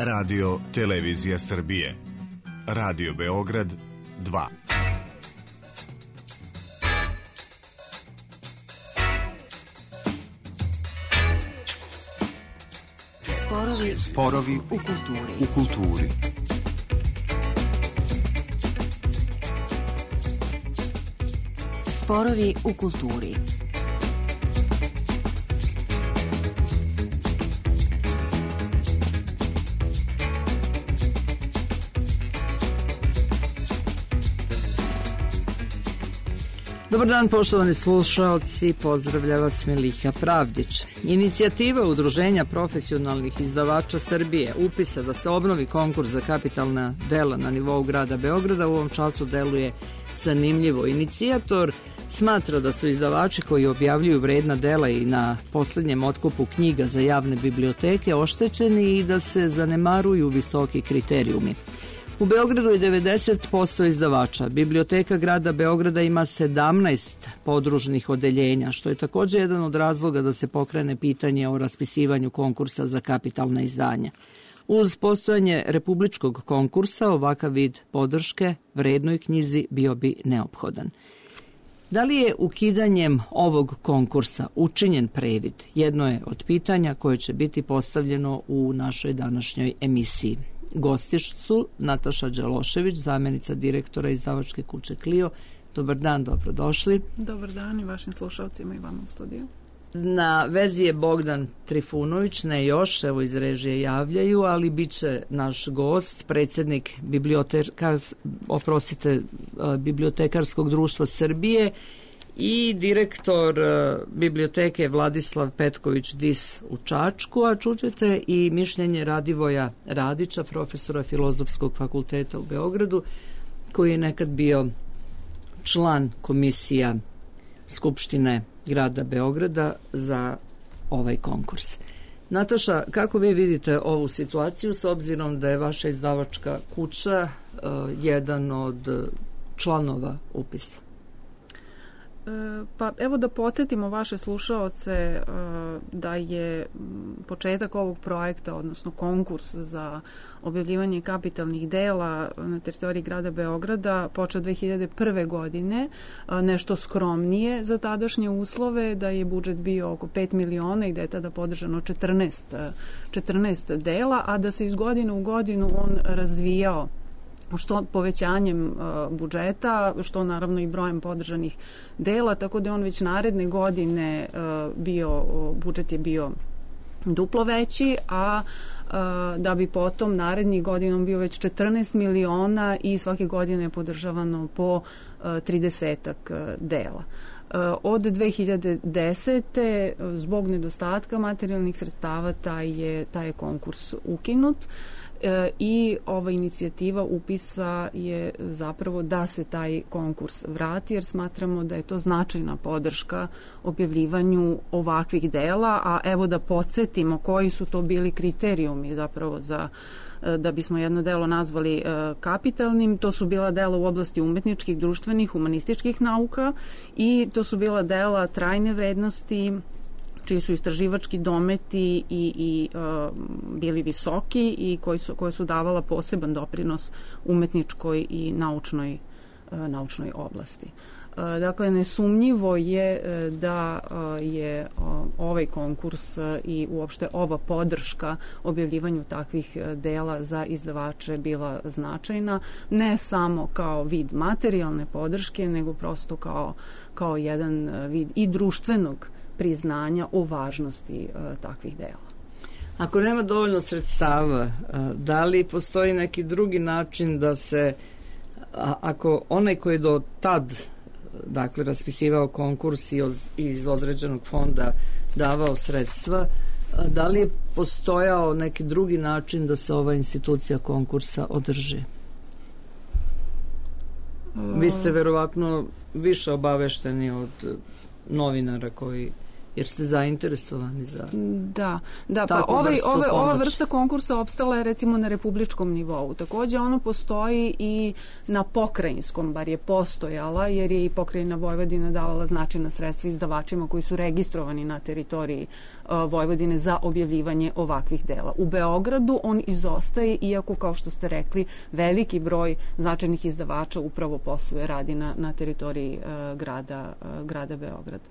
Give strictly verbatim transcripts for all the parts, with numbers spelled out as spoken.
Radio Televizija Srbije. Radio Beograd dva. Sporovi, Sporovi u kulturi. U kulturi. Sporovi u kulturi. Dobar dan, poštovani slušaoci, pozdravlja vas Miliha Pravdić. Inicijativa Udruženja profesionalnih izdavača Srbije upisa da se obnovi konkurs za kapitalna dela na nivou grada Beograda u ovom času deluje zanimljivo. Inicijator smatra da su izdavači koji objavljuju vredna dela i na poslednjem otkupu knjiga za javne biblioteke oštećeni i da se zanemaruju visoki kriterijumi. U Beogradu je devedeset posto izdavača. Biblioteka grada Beograda ima sedamnaest podružnih odeljenja, što je također jedan od razloga da se pokrene pitanje o raspisivanju konkursa za kapitalna izdanja. Uz postojanje republičkog konkursa, ovakav vid podrške vrednoj knjizi bio bi neophodan. Da li je ukidanjem ovog konkursa učinjen previd? Jedno je od pitanja koje će biti postavljeno u našoj današnjoj emisiji. Gosti su Nataša Đelošević, zamjenica direktora izdavačke kuće Clio. Dobar dan, dobrodošli. Dobar dan i vašim slušalcima i vama u studiju. Na vezi je Bogdan Trifunović, ne još, evo iz režije javljaju, ali bit će naš gost, predsjednik bibliotekars, oprostite, Bibliotekarskog društva Srbije i direktor biblioteke Vladislav Petković-Dis u Čačku, a čućete i mišljenje Radivoja Radića, profesora Filozofskog fakulteta u Beogradu, koji je nekad bio član komisija Skupštine grada Beograda za ovaj konkurs. Nataša, kako vi vidite ovu situaciju s obzirom da je vaša izdavačka kuća uh, jedan od članova upisa? Pa evo da podsjetimo vaše slušaoce da je početak ovog projekta, odnosno konkurs za objavljivanje kapitalnih dela na teritoriji grada Beograda počeo dve hiljade prve. godine, nešto skromnije za tadašnje uslove, da je budžet bio oko pet miliona i da je tada podržano četrnaest, četrnaest dela, a da se iz godine u godinu on razvijao što povećanjem uh, budžeta, što naravno i brojem podržanih dela, tako da je on već naredne godine uh, bio, uh, budžet je bio duplo veći, a uh, da bi potom narednih godinom bio već četrnaest miliona i svake godine je podržavano po uh, tridesetak uh, dela. Uh, od dve hiljade desete. zbog nedostatka materijalnih sredstava taj je, taj je konkurs ukinut. E, i ova inicijativa upisa je zapravo da se taj konkurs vrati, jer smatramo da je to značajna podrška objavljivanju ovakvih dela, a evo da podsjetimo koji su to bili kriterijumi zapravo za da bismo jedno delo nazvali e, kapitalnim. To su bila dela u oblasti umetničkih, društvenih, humanističkih nauka i to su bila dela trajne vrednosti, čiji su istraživački dometi i, i uh, bili visoki i koji su, koje su davala poseban doprinos umetničkoj i naučnoj, uh, naučnoj oblasti. Uh, dakle, nesumnjivo je uh, da uh, je uh, ovaj konkurs uh, i uopšte ova podrška objavljivanju takvih uh, dela za izdavače bila značajna, ne samo kao vid materijalne podrške, nego prosto kao, kao jedan uh, vid i društvenog priznanja o važnosti uh, takvih dela. Ako nema dovoljno sredstava, uh, da li postoji neki drugi način da se, a, ako onaj koji je do tad dakle raspisivao konkurs i iz, iz određenog fonda davao sredstva, uh, da li je postojao neki drugi način da se ova institucija konkursa održi? Uh, Vi ste verovatno više obavešteni od novinara koji jer ste zainteresovani za da, da pa ovaj, ove, ova vrsta konkursa opstala je recimo na republičkom nivou. Takođe ono postoji i na pokrajinskom, bar je postojala, jer je i pokrajina Vojvodina davala značajna sredstva izdavačima koji su registrovani na teritoriji uh, Vojvodine za objavljivanje ovakvih dela. U Beogradu on izostaje, iako, kao što ste rekli, veliki broj značajnih izdavača upravo posluje, radi na, na teritoriji uh, grada, uh, grada Beograda.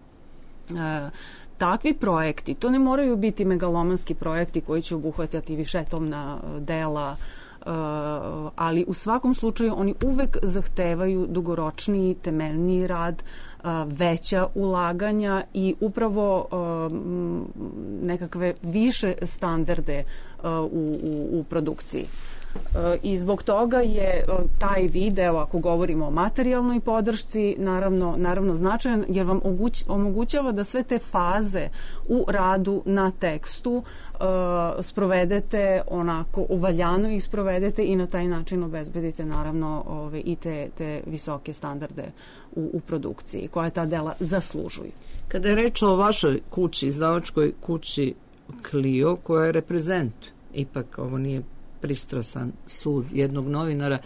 E, takvi projekti, to ne moraju biti megalomanski projekti koji će obuhvatati višetomna dela, e, ali u svakom slučaju oni uvek zahtevaju dugoročniji, temeljniji rad, e, veća ulaganja i upravo e, nekakve više standarde e, u, u, u produkciji. I zbog toga je taj video, ako govorimo o materijalnoj podršci, naravno, naravno značajan, jer vam omogućava da sve te faze u radu na tekstu uh, sprovedete onako, uvaljano ih sprovedete i na taj način obezbedite naravno ove, i te, te visoke standarde u, u produkciji, koje ta dela zaslužuju. Kada je reč o vašoj kući, izdavačkoj kući Clio, koja je reprezent, ipak ovo nije pristrasan sud jednog novinara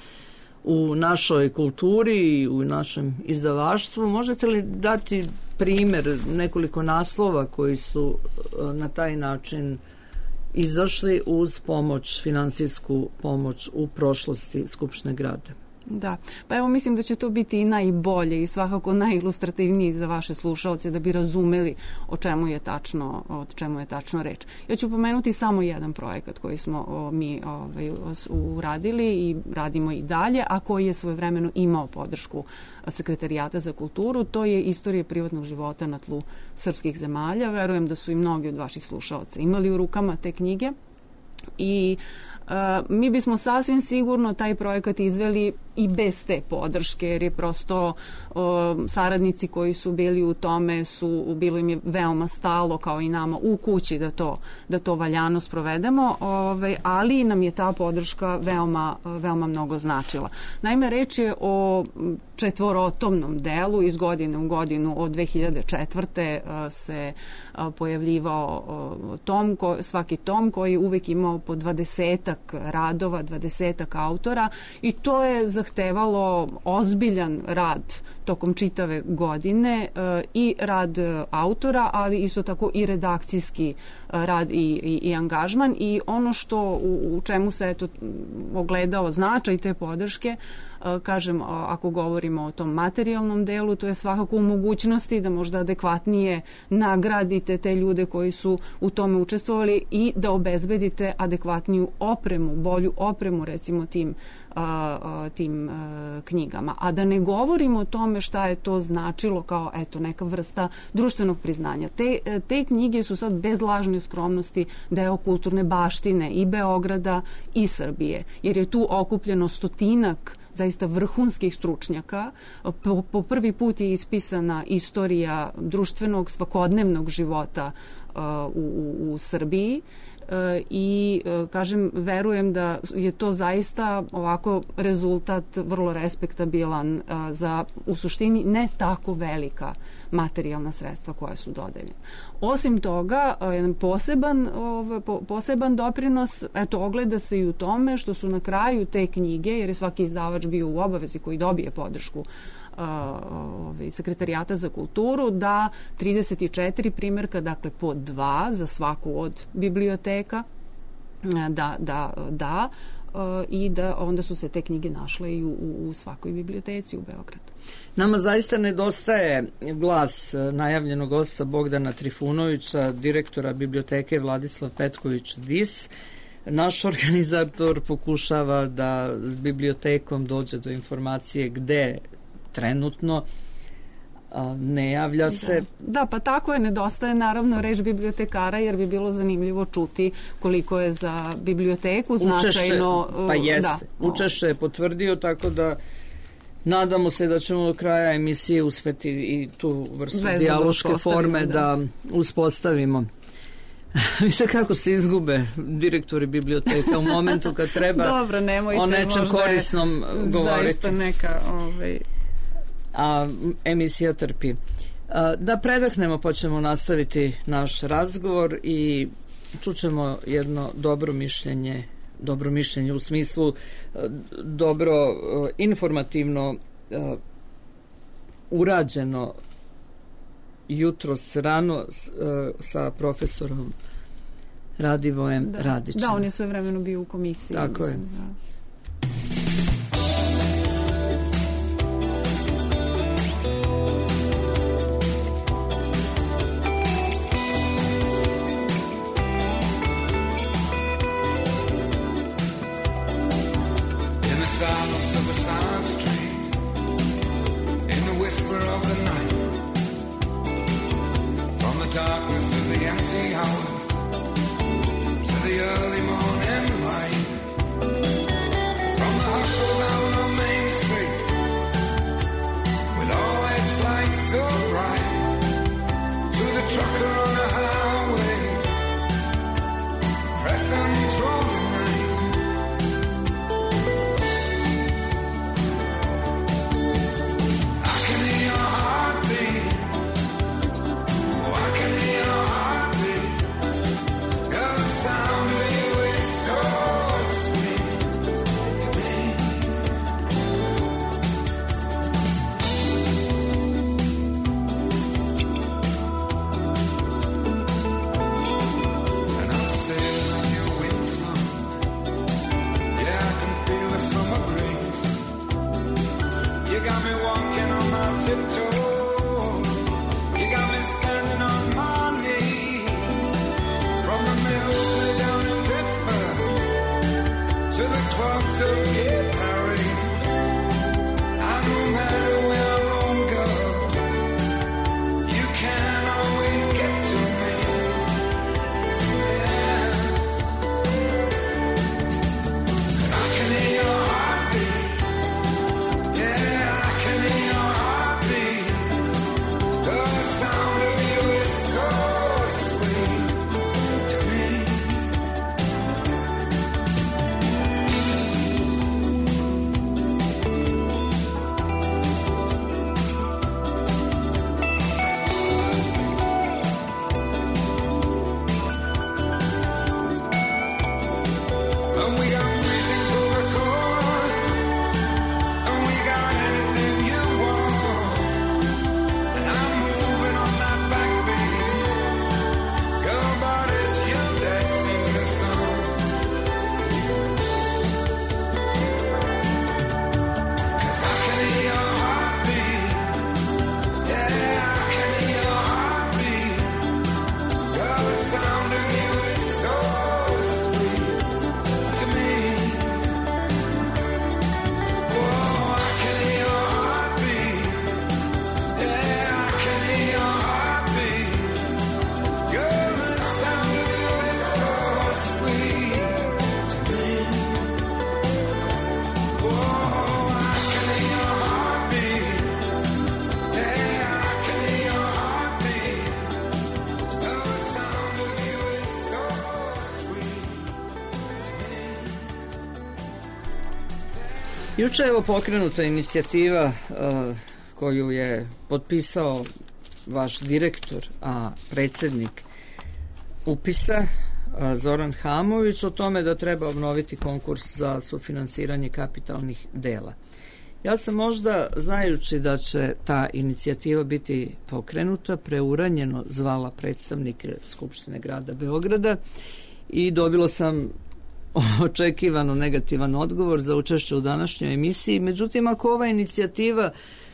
u našoj kulturi i u našem izdavaštvu. Možete li dati primer nekoliko naslova koji su na taj način izašli uz pomoć, finansijsku pomoć u prošlosti Skupštine grada? Da, pa evo mislim da će to biti i najbolje i svakako najilustrativniji za vaše slušaoce da bi razumeli o čemu je tačno, o čemu je tačno reč. Ja ću pomenuti samo jedan projekat koji smo o, mi ovaj, uradili i radimo i dalje, a koji je svojevremeno imao podršku Sekretarijata za kulturu. To je Istorija privatnog života na tlu srpskih zemalja. Verujem da su i mnogi od vaših slušaoca imali u rukama te knjige i Uh, mi bismo sasvim sigurno taj projekat izveli i bez te podrške, jer je prosto uh, saradnici koji su bili u tome su, bilo im je veoma stalo, kao i nama u kući, da to, da to valjano sprovedemo, ovaj, ali nam je ta podrška veoma, veoma mnogo značila. Naime, reč je o četvorotomnom delu, iz godine u godinu od dve hiljade četvrte. Uh, se uh, pojavljivao uh, tom, ko, svaki tom koji uvek imao po dvadesetak radova, dvadesetak autora, i to je zahtevalo ozbiljan rad tokom čitave godine e, i rad autora, ali isto tako i redakcijski rad i, i, i angažman, i ono što u, u čemu se eto ogledao značaj te podrške, e, kažem, ako govorimo o tom materijalnom delu, to je svakako u mogućnosti da možda adekvatnije nagradite te ljude koji su u tome učestvovali i da obezbedite adekvatniju opremu, bolju opremu recimo tim A, a, tim a, knjigama. A da ne govorimo o tome šta je to značilo kao eto neka vrsta društvenog priznanja. Te, te knjige su sad bez lažne skromnosti deo kulturne baštine i Beograda i Srbije, jer je tu okupljeno stotinak zaista vrhunskih stručnjaka. Po, po prvi put je ispisana istorija društvenog svakodnevnog života a, u, u, u Srbiji. I kažem, verujem da je to zaista ovako rezultat vrlo respektabilan za u suštini ne tako velika materijalna sredstva koja su dodeljena. Osim toga, jedan poseban, poseban doprinos eto ogleda se i u tome što su na kraju te knjige, jer je svaki izdavač bio u obavezi koji dobije podršku Sekretarijata za kulturu, da trideset četiri primjerka, dakle po dva za svaku od biblioteka, da, da, da i da onda su se te knjige našle i u, u svakoj biblioteci u Beogradu. Nama zaista nedostaje glas najavljenog gosta Bogdana Trifunovića, direktora biblioteke Vladislav Petković Dis. Naš organizator pokušava da s bibliotekom dođe do informacije gde trenutno ne javlja se. Da. da, pa tako je, nedostaje naravno reč bibliotekara, jer bi bilo zanimljivo čuti koliko je za biblioteku značajno. Učešće, pa jeste. Da, učešće je potvrdio, tako da nadamo se da ćemo do kraja emisije uspeti i tu vrstu Vezu dijaloške forme da, da uspostavimo. Vidite kako se izgube direktori biblioteka u momentu kad treba Dobro, nemojte, o nečem korisnom govoriti. Zaista neka... Ovaj... a emisija trpi. Da predahnemo, pa ćemo nastaviti naš razgovor i čućemo jedno dobro mišljenje, dobro mišljenje u smislu dobro informativno urađeno jutros rano sa profesorom Radivojem da. Radićem. Da, on je sve vremeno bio u komisiji. Tako mislim, je. Da. Silence of a silent street, in the whisper of the night, from the darkness of the empty house to the early morning light, from the hustle down on Main Street, with all its lights so bright, to the trucker on the highway, pressing through the night. Juče je evo pokrenuta inicijativa uh, koju je potpisao vaš direktor, a predsjednik upisa uh, Zoran Hamović, o tome da treba obnoviti konkurs za sufinansiranje kapitalnih dela. Ja sam možda, znajući da će ta inicijativa biti pokrenuta, preuranjeno zvala predstavnike Skupštine grada Beograda i dobila sam očekivano negativan odgovor za učešće u današnjoj emisiji. Međutim, ako ova inicijativa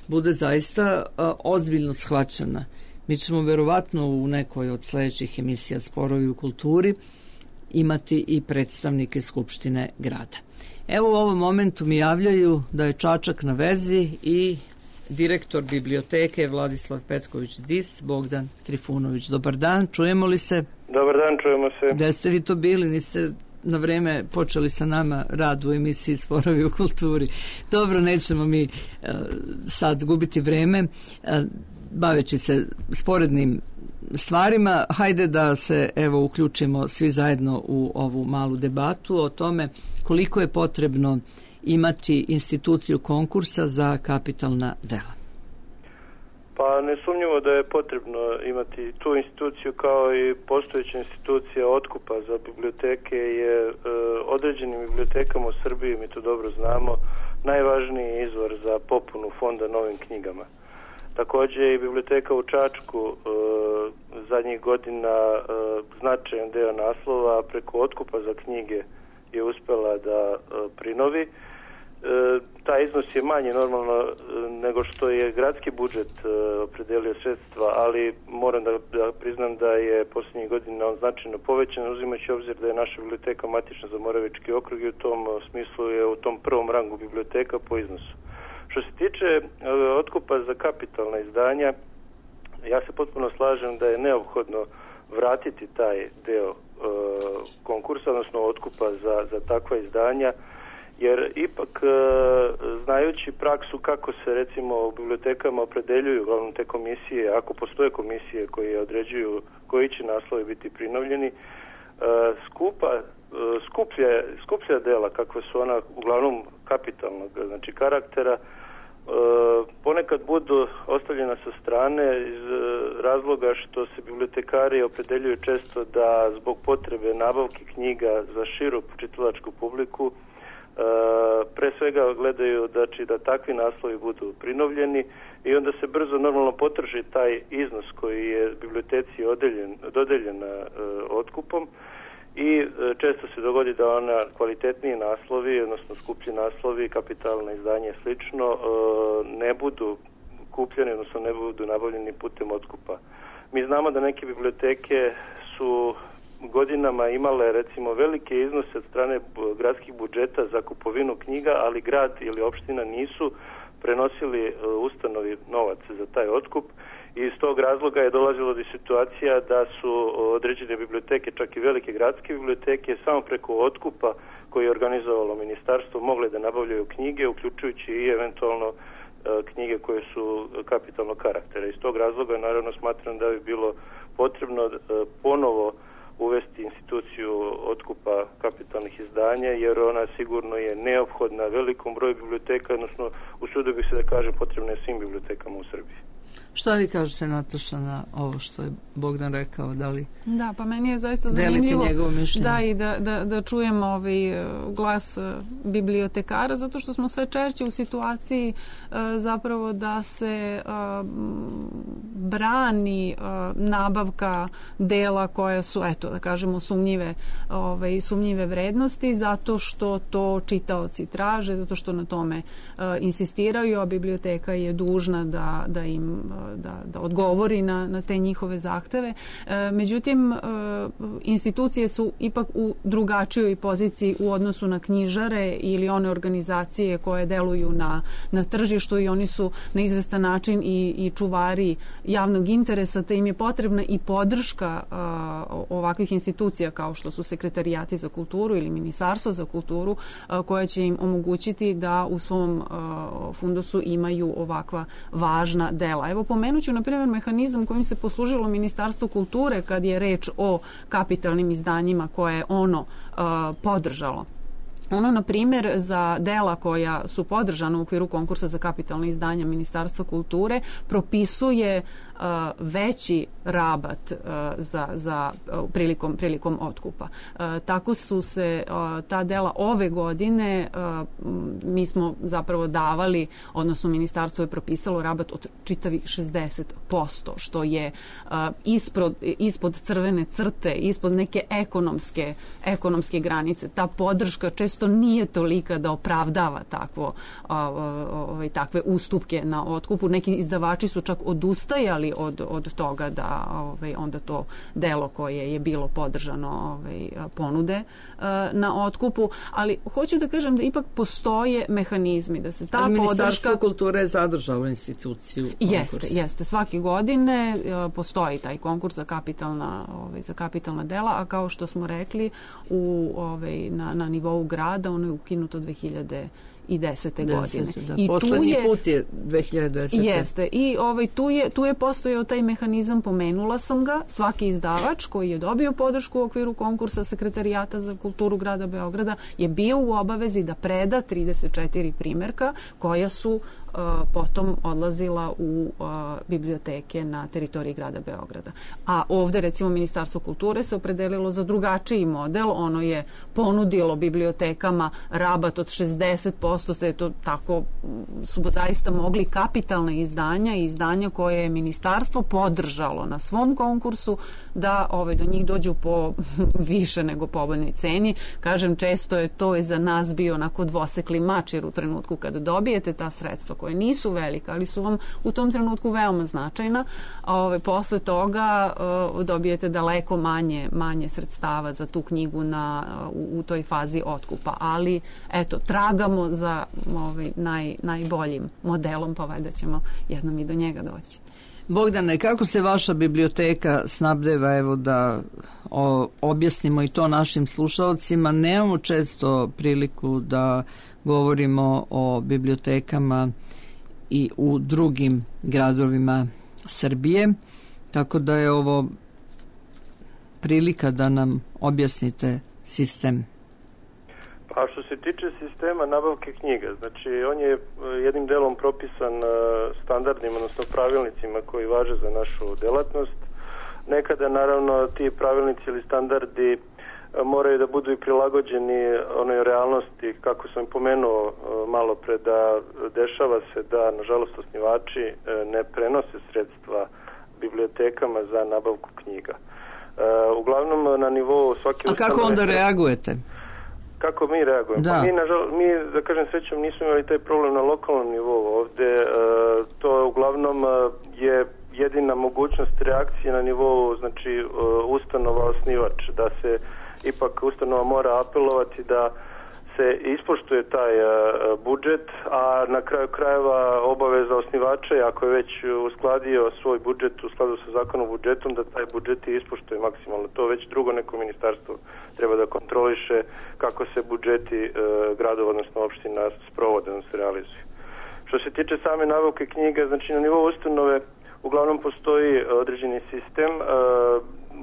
bude zaista a, ozbiljno shvaćena, mi ćemo verovatno u nekoj od sljedećih emisija Sporovi u kulturi imati i predstavnike Skupštine grada. Evo u ovom momentu mi javljaju da je Čačak na vezi i direktor biblioteke Vladislav Petković-Dis, Bogdan Trifunović. Dobar dan, čujemo li se? Dobar dan, čujemo se. Gde ste vi to bili? Niste na vreme počeli sa nama rad u emisiji Sporovi u kulturi. Dobro, nećemo mi uh, sad gubiti vreme uh, baveći se sporednim stvarima. Hajde da se evo uključimo svi zajedno u ovu malu debatu o tome koliko je potrebno imati instituciju konkursa za kapitalna dela. Pa Pa nesumnjivo da je potrebno imati tu instituciju kao i postojeća institucija otkupa za biblioteke je e, određenim bibliotekama u Srbiji, mi to dobro znamo, najvažniji izvor za popunu fonda novim knjigama. Također i biblioteka u Čačku e, zadnjih godina e, značajan deo naslova preko otkupa za knjige je uspela da e, prinovi. E, taj iznos je manji normalno e, nego što je gradski budžet e, opredelio sredstva, ali moram da, da priznam da je posljednjih godina on značajno povećan, uzimajući obzir da je naša biblioteka matična za Moravički okrug i u tom smislu je u tom prvom rangu biblioteka po iznosu. Što se tiče e, otkupa za kapitalna izdanja, ja se potpuno slažem da je neophodno vratiti taj deo e, konkursa, odnosno otkupa za, za takva izdanja, jer ipak, e, znajući praksu kako se recimo u bibliotekama opredeljuju uglavnom te komisije, ako postoje komisije koje određuju koji će naslovi biti prinovljeni, e, skupa, e, skuplja, skuplja dela, kakve su ona uglavnom kapitalnog znači karaktera, e, ponekad budu ostavljena sa strane iz razloga što se bibliotekari opredeljuju često da zbog potrebe nabavke knjiga za širu čitalačku publiku Uh, pre svega gledaju znači, da takvi naslovi budu prinovljeni i onda se brzo normalno potrži taj iznos koji je biblioteci odeljen, dodeljen uh, otkupom i uh, često se dogodi da ona kvalitetniji naslovi, odnosno skuplji naslovi, kapitalna izdanje i slično, uh, ne budu kupljeni, odnosno ne budu nabavljeni putem otkupa. Mi znamo da neke biblioteke su godinama imale recimo velike iznose od strane gradskih budžeta za kupovinu knjiga, ali grad ili opština nisu prenosili ustanovi novac za taj otkup i iz tog razloga je dolazilo do situacija da su određene biblioteke, čak i velike gradske biblioteke, samo preko otkupa koji je organizovalo ministarstvo mogle da nabavljaju knjige, uključujući i eventualno knjige koje su kapitalnog karaktera. Iz tog razloga naravno smatram da bi bilo potrebno ponovo uvesti instituciju otkupa kapitalnih izdanja, jer ona sigurno je neophodna velikom broju biblioteka, odnosno usudio bih se da kažem potrebna je svim bibliotekama u Srbiji. Šta vi kažete, Nataša, na ovo što je Bogdan rekao? Da li da, pa meni je zaista zanimljivo da i da, da, da čujem ovaj glas bibliotekara, zato što smo sve češće u situaciji uh, zapravo da se uh, brani uh, nabavka dela koje su, eto, da kažemo, sumnjive, ovaj, sumnjive vrednosti, zato što to čitaoci traže, zato što na tome uh, insistiraju, a biblioteka je dužna da, da im Da, da odgovori na, na te njihove zahteve. E, međutim, e, institucije su ipak u drugačijoj poziciji u odnosu na knjižare ili one organizacije koje deluju na, na tržištu i oni su na izvestan način i, i čuvari javnog interesa, te im je potrebna i podrška a, ovakvih institucija kao što su sekretarijati za kulturu ili ministarstvo za kulturu, a, koje će im omogućiti da u svom a, fundusu imaju ovakva važna dela. Evo, pomenut ću, na primjer, mehanizam kojim se poslužilo Ministarstvo kulture kad je reč o kapitalnim izdanjima koje je ono uh, podržalo. Ono, na primjer, za dela koja su podržana u okviru konkursa za kapitalne izdanja Ministarstva kulture propisuje uh, veći rabat uh, za, za uh, prilikom, prilikom otkupa. Uh, tako su se uh, ta dela ove godine, uh, mi smo zapravo davali, odnosno Ministarstvo je propisalo rabat od čitavih šezdeset posto, što je uh, ispod, ispod crvene crte, ispod neke ekonomske, ekonomske granice. Ta podrška često nije tolika da opravdava takvo, ovaj, takve ustupke na otkupu. Neki izdavači su čak odustajali od, od toga da ovaj, onda to delo koje je bilo podržano ovaj, ponude na otkupu, ali hoću da kažem da ipak postoje mehanizmi da se ta podrška... Ministarstvo kulture je zadržalo instituciju konkursa. Jeste, jeste. Svake godine postoji taj konkurs za kapitalna, ovaj, za kapitalna dela, a kao što smo rekli u, ovaj, na, na nivou grada ono je ukinuto dve hiljade desete godine. Da. I poslednji tu je, put je dve hiljade desete. Jeste. I ovaj, tu, je, tu je postojao taj mehanizam, pomenula sam ga, svaki izdavač koji je dobio podršku u okviru konkursa Sekretarijata za kulturu grada Beograda je bio u obavezi da preda trideset četiri primerka koja su Uh, potom odlazila u uh, biblioteke na teritoriji grada Beograda. A ovde recimo Ministarstvo kulture se opredelilo za drugačiji model, ono je ponudilo bibliotekama rabat od šezdeset posto, te to tako su zaista mogli kapitalna izdanja i izdanja koje je ministarstvo podržalo na svom konkursu da ove, do njih dođu po više nego povoljnoj ceni. Kažem, često je to i za nas bio onako dvosekli mač, jer u trenutku kada dobijete ta sredstva koje nisu velika, ali su vam u tom trenutku veoma značajna, ove, posle toga uh, dobijete daleko manje, manje sredstava za tu knjigu na, u, u toj fazi otkupa. Ali, eto, tragamo za ovaj, naj, najboljim modelom, pa valjda ćemo jednom i do njega doći. Bogdane, kako se vaša biblioteka snabdeva, evo da o, objasnimo i to našim slušalcima. Nemamo često priliku da govorimo o bibliotekama i u drugim gradovima Srbije, tako da je ovo prilika da nam objasnite sistem. Pa što se tiče sistema nabavke knjiga, znači on je jednim delom propisan standardima, odnosno pravilnicima koji važe za našu delatnost. Nekada naravno ti pravilnici ili standardi moraju da budu i prilagođeni onoj realnosti, kako sam pomenuo malo pre, da dešava se da nažalost osnivači ne prenose sredstva bibliotekama za nabavku knjiga. Uglavnom na nivou svake... A kako onda reagujete? Kako mi reagujemo? Da. Pa mi, nažal, mi, da kažem srećom, nismo imali taj problem na lokalnom nivou. Ovde to uglavnom je jedina mogućnost reakcije na nivou, znači ustanova osnivač, da se ipak ustanova mora apelovati da se ispoštuje taj budžet, a na kraju krajeva obaveza osnivača je, ako je već uskladio svoj budžet u skladu sa zakonom o budžetom, da taj budžet i ispoštuje maksimalno. To već drugo neko ministarstvo treba da kontroliše kako se budžeti gradova, odnosno opština sprovode, odnosno realizuju. Što se tiče same nabavke knjiga, znači na nivou ustanove uglavnom postoji određeni sistem,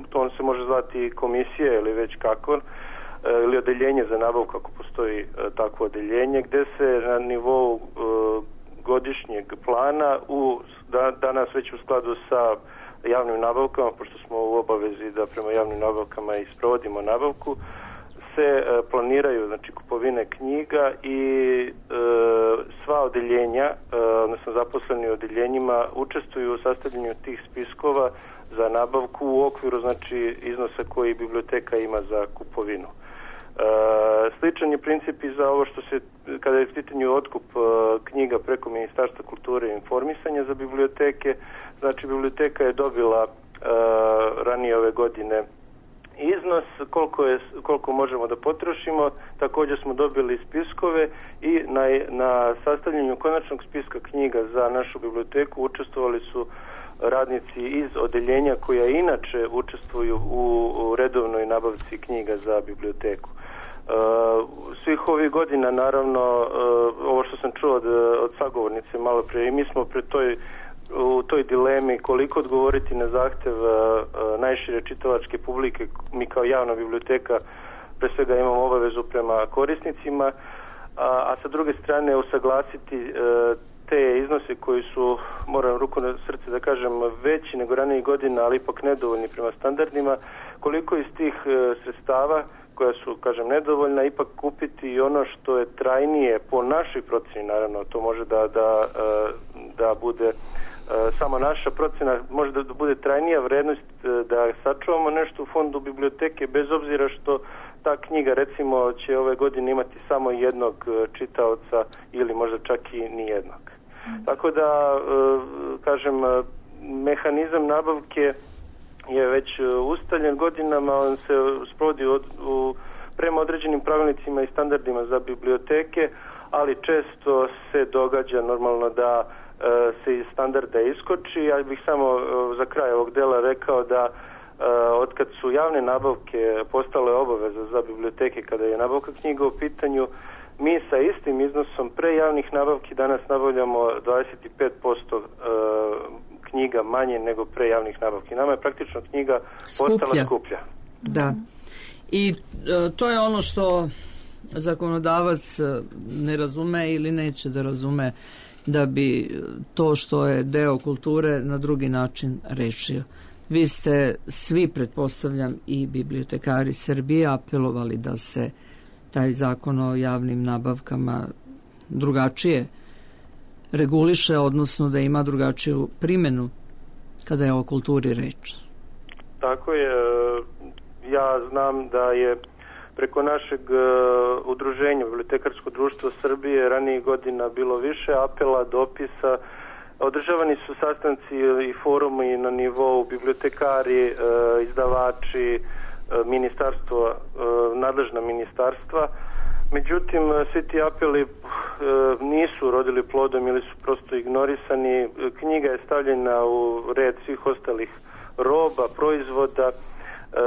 to on se može zvati komisija ili već kako, ili odeljenje za nabavku ako postoji takvo odeljenje, gde se na nivou godišnjeg plana u, da, danas već u skladu sa javnim nabavkama, pošto smo u obavezi da prema javnim nabavkama i sprovodimo nabavku, se planiraju, znači, kupovine knjiga i e, sva odeljenja, e, odnosno zaposleni u odeljenjima, učestvuju u sastavljanju tih spiskova za nabavku u okviru, znači, iznosa koji biblioteka ima za kupovinu. E, sličan je princip i za ovo što se, kada je u pitanju otkup e, knjiga preko Ministarstva kulture i informisanja za biblioteke, znači, biblioteka je dobila e, ranije ove godine iznos koliko, je, koliko možemo da potrošimo. Također smo dobili spiskove i na, na sastavljanju konačnog spiska knjiga za našu biblioteku učestvovali su radnici iz odeljenja koja inače učestvuju u, u redovnoj nabavci knjiga za biblioteku. Uh, svih ovih godina, naravno, uh, ovo što sam čuo od, od sagovornice malo prije, i mi smo pre toj u toj dilemi koliko odgovoriti na zahtev uh, najšire čitalačke publike. Mi kao javna biblioteka pre svega imamo obavezu prema korisnicima, a, a sa druge strane usaglasiti uh, te iznose koji su, moram ruku na srce da kažem, veći nego ranijih godina, ali ipak nedovoljni prema standardima, koliko iz tih uh, sredstava koja su, kažem, nedovoljna, ipak kupiti i ono što je trajnije po našoj proceni, naravno, to može da, da, da bude samo naša procena, može da bude trajnija vrednost, da sačuvamo nešto u fondu biblioteke, bez obzira što ta knjiga, recimo, će ove godine imati samo jednog čitaoca ili možda čak i nijednog. Mm. Tako da, kažem, mehanizam nabavke je već ustaljen godinama, on se sprovodi u, u, prema određenim pravilnicima i standardima za biblioteke, ali često se događa normalno da e, se iz standarda iskoči. Ja bih samo e, za kraj ovog dela rekao da e, otkad su javne nabavke postale obaveza za biblioteke kada je nabavka knjiga u pitanju, mi sa istim iznosom pre javnih nabavki danas nabavljamo dvadeset pet posto knjiga manje nego pre javnih nabavki. Nama je praktično knjiga skuplja. postala skuplja. Da. I e, to je ono što zakonodavac ne razume ili neće da razume, da bi to što je deo kulture na drugi način rešio. Vi ste svi, pretpostavljam, i bibliotekari Srbije apelovali da se taj zakon o javnim nabavkama drugačije reguliše, odnosno da ima drugačiju primjenu kada je o kulturi reč. Tako je. Ja znam da je preko našeg udruženja Bibliotekarsko društvo Srbije ranijih godina bilo više apela, dopisa. Održavani su sastanci i forumi na nivou bibliotekari, izdavači, ministarstvo, nadležna ministarstva. Međutim, svi ti apeli nisu rodili plodom ili su prosto ignorisani. Knjiga je stavljena u red svih ostalih roba, proizvoda. E,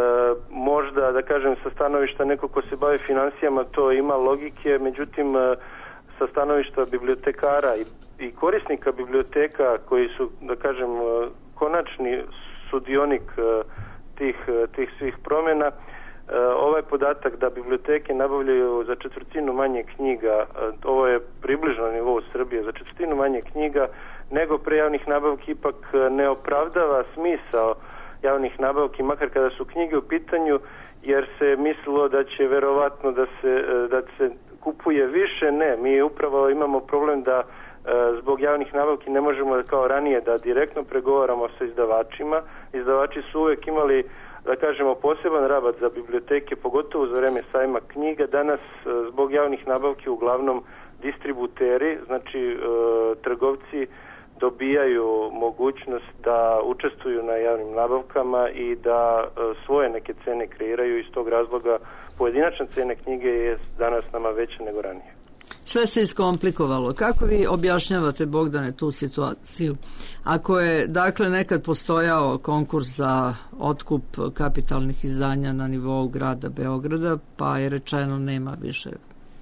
možda, da kažem, sa stanovišta neko ko se bavi financijama to ima logike, međutim sa stanovišta bibliotekara i, i korisnika biblioteka koji su, da kažem, konačni sudionik tih, tih svih promjena, ovaj podatak da biblioteke nabavljaju za četvrtinu manje knjiga, ovo je približno na nivou Srbije, za četvrtinu manje knjiga nego pre javnih nabavki, ipak ne opravdava smisao javnih nabavki, makar kada su knjige u pitanju, jer se mislilo da će verovatno da se, da se kupuje više. Ne, mi upravo imamo problem da zbog javnih nabavki ne možemo da kao ranije da direktno pregovaramo sa izdavačima. Izdavači su uvek imali, da kažemo, poseban rabat za biblioteke, pogotovo za vreme sajma knjiga. Danas zbog javnih nabavki uglavnom distributeri, znači trgovci, dobijaju mogućnost da učestvuju na javnim nabavkama i da svoje neke cene kreiraju. Iz tog razloga pojedinačna cena knjige je danas nama veća nego ranije. Sve se iskomplikovalo. Kako vi objašnjavate, Bogdane, tu situaciju? Ako je, dakle, nekad postojao konkurs za otkup kapitalnih izdanja na nivou grada Beograda, pa je rečeno nema više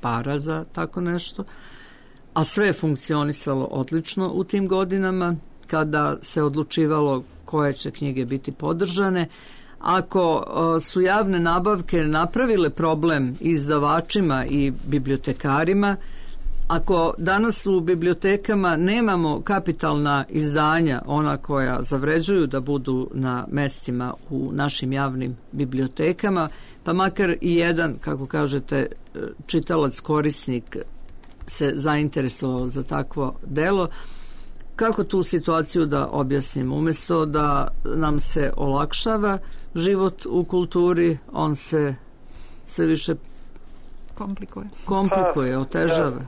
para za tako nešto, a sve je funkcionisalo odlično u tim godinama kada se odlučivalo koje će knjige biti podržane. Ako su javne nabavke napravile problem izdavačima i bibliotekarima, ako danas u bibliotekama nemamo kapitalna izdanja, ona koja zavređuju da budu na mestima u našim javnim bibliotekama, pa makar i jedan, kako kažete, čitalac, korisnik se zainteresovao za takvo delo, kako tu situaciju da objasnimo? Umjesto da nam se olakšava život u kulturi, on se sve više komplikuje, komplikuje otežava.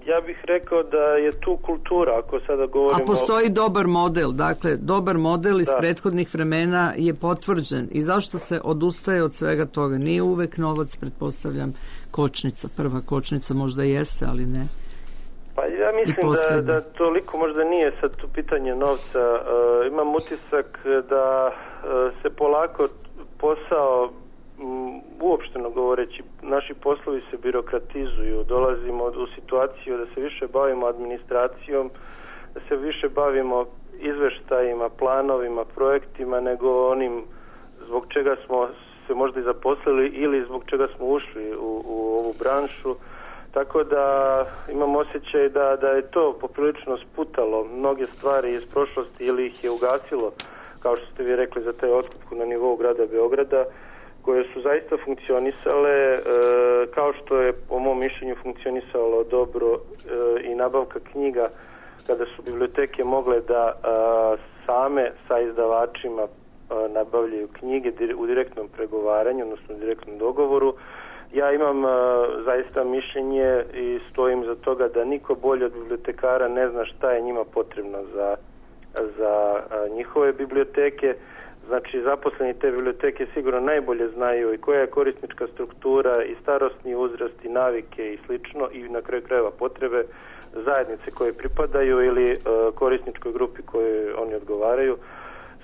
Ja, ja bih rekao da je tu kultura, ako sada govorimo... A postoji dobar model, dakle, dobar model iz da. prethodnih vremena je potvrđen. I zašto se odustaje od svega toga? Nije uvek novac, pretpostavljam, kočnica. Prva kočnica možda jeste, ali ne. Pa ja mislim da, da toliko možda nije sad tu pitanje novca. E, imam utisak da e, se polako posao, m, uopšteno govoreći, naši poslovi se birokratizuju. Dolazimo u situaciju da se više bavimo administracijom, da se više bavimo izveštajima, planovima, projektima, nego onim zbog čega smo se možda i zaposlili ili zbog čega smo ušli u, u ovu branšu. Tako da imam osjećaj da, da je to poprilično sputalo mnoge stvari iz prošlosti ili ih je ugasilo, kao što ste vi rekli, za taj otkup na nivou grada Beograda, koje su zaista funkcionisale, e, kao što je po mom mišljenju funkcionisalo dobro e, i nabavka knjiga, kada su biblioteke mogle da a, same sa izdavačima a, nabavljaju knjige u direktnom pregovaranju, odnosno u direktnom dogovoru. Ja imam uh, zaista mišljenje i stojim za toga da niko bolje od bibliotekara ne zna šta je njima potrebno za, za uh, njihove biblioteke. Znači, zaposleni te biblioteke sigurno najbolje znaju i koja je korisnička struktura i starosni uzrast i navike i slično, i na kraju krajeva potrebe zajednice koje pripadaju ili uh, korisničkoj grupi koje oni odgovaraju.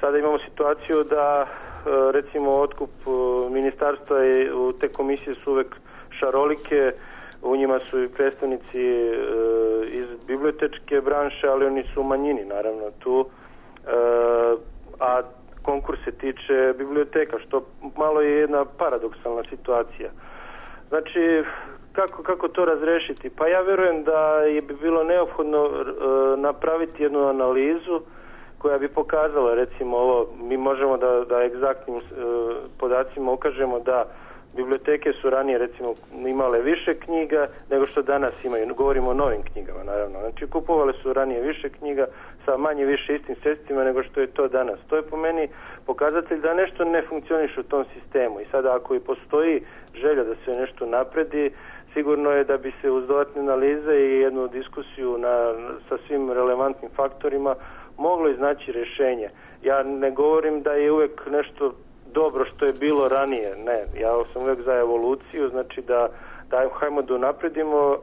Sada imamo situaciju da recimo otkup ministarstva i te komisije su uvek šarolike, u njima su i predstavnici e, iz bibliotečke branše, ali oni su u manjini naravno tu, e, a konkurs se tiče biblioteka, što malo je jedna paradoksalna situacija. Znači, kako, kako to razrešiti? Pa ja vjerujem da je bi bilo neophodno e, napraviti jednu analizu koja bi pokazala, recimo ovo, mi možemo da, da egzaktnim e, podacima ukažemo da biblioteke su ranije recimo imale više knjiga nego što danas imaju. Govorimo o novim knjigama naravno. Znači kupovale su ranije više knjiga sa manje više istim sredstvima nego što je to danas. To je po meni pokazatelj da nešto ne funkcioniše u tom sistemu. I sada ako i postoji želja da se nešto napredi, sigurno je da bi se uz dodatne analize i jednu diskusiju na, sa svim relevantnim faktorima moglo iznaći rješenje. Ja ne govorim da je uvijek nešto dobro što je bilo ranije, ne, ja sam uvijek za evoluciju, znači da, da hajmo da napredimo e,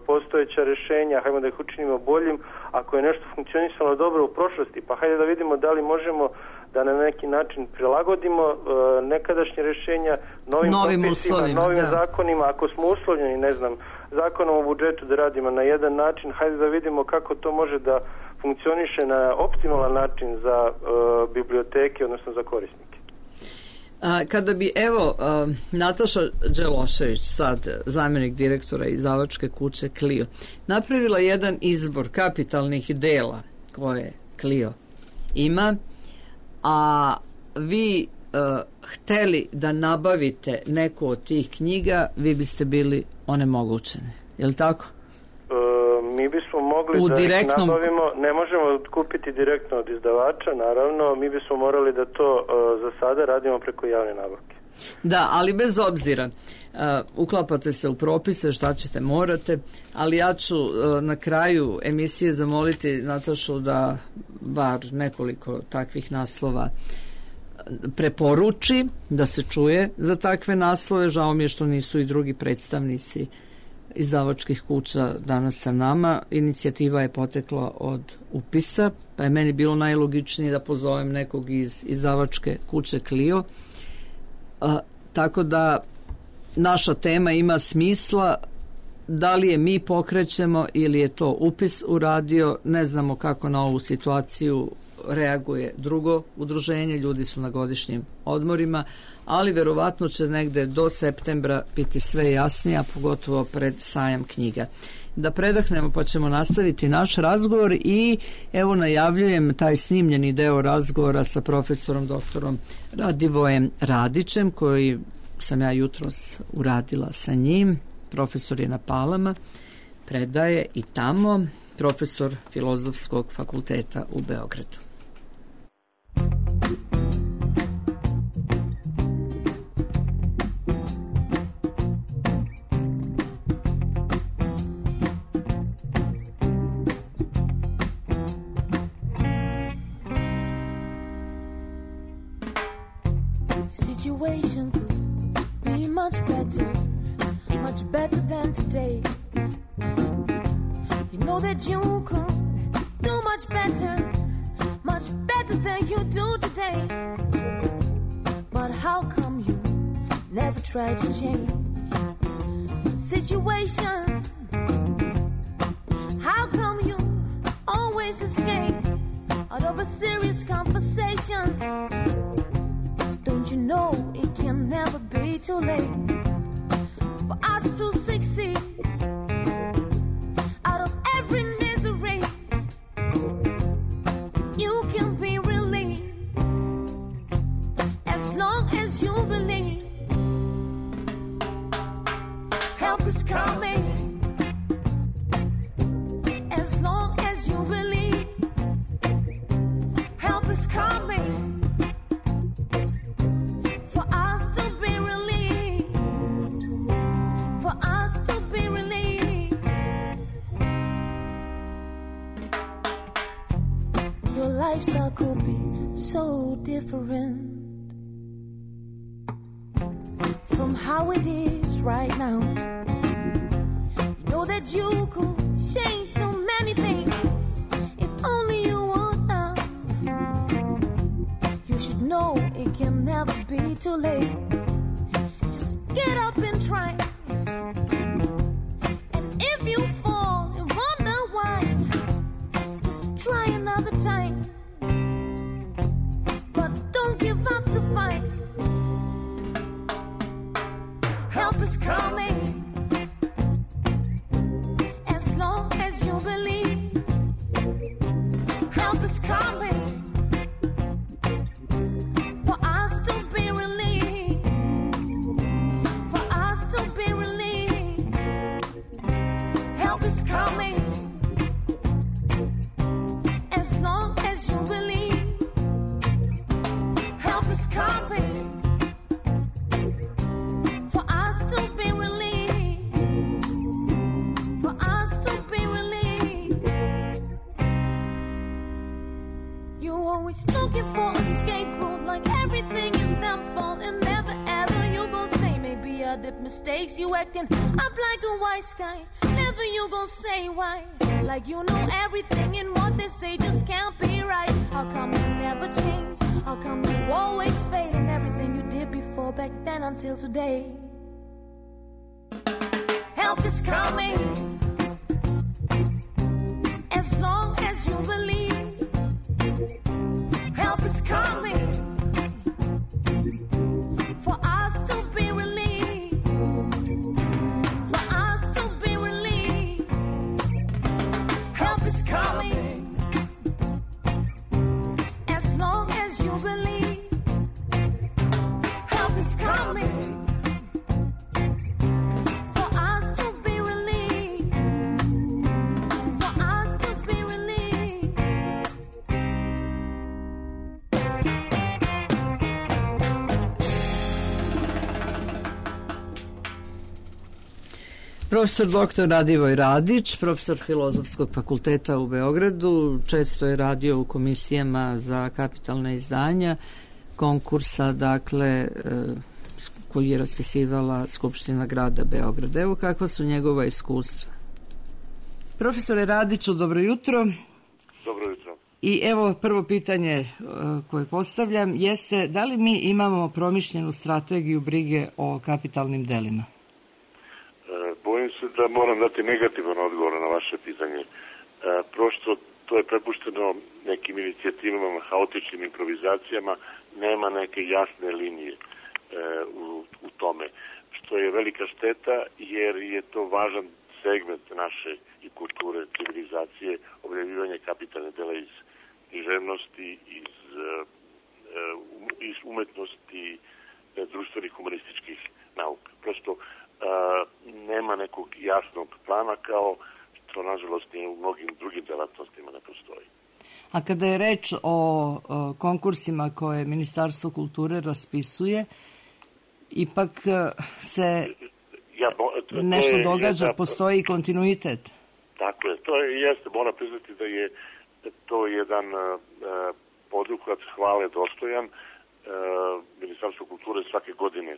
postojeća rješenja, hajmo da ih učinimo boljim, ako je nešto funkcionisalo dobro u prošlosti, pa hajde da vidimo da li možemo da na neki način prilagodimo e, nekadašnje rješenja novim, novim propisima, novim da. zakonima, ako smo uslovljeni, ne znam, zakonom o budžetu da radimo na jedan način, hajde da vidimo kako to može da funkcioniše na optimalan način za e, biblioteke, odnosno za korisnike. A, kada bi, evo, a, Nataša Đelošević, sad zamjenik direktora izdavačke kuće Clio, napravila jedan izbor kapitalnih dela koje Clio ima, a vi a, hteli da nabavite neku od tih knjiga, vi biste bili onemogućeni. Je li tako? Mi bismo mogli u da direktnom... ih nabavimo, ne možemo kupiti direktno od izdavača, naravno, mi bismo morali da to uh, za sada radimo preko javne nabavke. Da, ali bez obzira, uh, uklapate se u propise, šta ćete, morate, ali ja ću uh, na kraju emisije zamoliti Natašu da bar nekoliko takvih naslova preporuči, da se čuje za takve naslove. Žao mi je što nisu i drugi predstavnici izdavačkih kuća danas sa nama. Inicijativa je potekla od upisa, pa je meni bilo najlogičnije da pozovem nekog iz izdavačke kuće Clio. A, tako da naša tema ima smisla. Da li je mi pokrećemo ili je to upis uradio, ne znamo kako na ovu situaciju reaguje drugo udruženje, ljudi su na godišnjim odmorima, ali verovatno će negde do septembra biti sve jasnije, a pogotovo pred sajam knjiga. Da predahnemo pa ćemo nastaviti naš razgovor i evo najavljujem taj snimljeni deo razgovora sa profesorom doktorom Radivojem Radićem, koji sam ja jutros uradila sa njim. Profesor je na Palama, predaje i tamo, profesor Filozofskog fakulteta u Beogradu. Situation could be much better, much better than today. You know that you could do much better, much better than you do today. But how come you never try to change the situation? How come you always escape out of a serious conversation? Don't you know it can never be too late for us to succeed out of every misery? You can be relieved as long as you believe. Help is coming as long as you believe. Help is coming. Lifestyle could be so different from how it is right now. You know that you could change so many things if only you want now. You should know it can never be too late. Just get up and try. is coming. As long as you believe, help is coming. For us to be relieved, for us to be relieved. You're always looking for a scapegoat, like everything is their fault, and never ever you gon' say maybe I did mistakes. You acting up like a wise guy, never you gon' say why. Like you know everything and what they say just can't be right. How come you never change? How come you always fade in everything you did before back then until today? Help is coming. As long as you believe, help is coming. For us to be relieved, for us to be relieved, help is coming. As long as you believe, help is coming. For us to be relieved, for us to be relieved. Profesor doktor Radivoj Radić, profesor Filozofskog fakulteta u Beogradu, često je radio u komisijama za kapitalna izdanja konkursa, dakle, e, koji je raspisivala Skupština grada Beograda. Evo kakva su njegova iskustva. Profesore Radiću, dobro jutro. Dobro jutro. I evo prvo pitanje e, koje postavljam jeste da li mi imamo promišljenu strategiju brige o kapitalnim delima? Bojim se da moram dati negativan odgovor na vaše pitanje. E, prosto to je prepušteno nekim inicijativama, haotičnim improvizacijama, nema neke jasne linije e, u, u tome, što je velika šteta jer je to važan segment naše i kulture, civilizacije, objavljivanje kapitalne dela iz književnosti, iz, e, iz umetnosti, e, društvenih humanističkih nauka. Prosto Uh, nema nekog jasnog plana kao što nažalost u mnogim drugim delatnostima ne postoji. A kada je reč o, o konkursima koje Ministarstvo kulture raspisuje, ipak se ja, bo, to, nešto to je, događa, jedna, postoji kontinuitet. Tako je, to je, jeste, moram priznati da je to jedan uh, poduhvat hvale dostojan. Uh, Ministarstvo kulture svake godine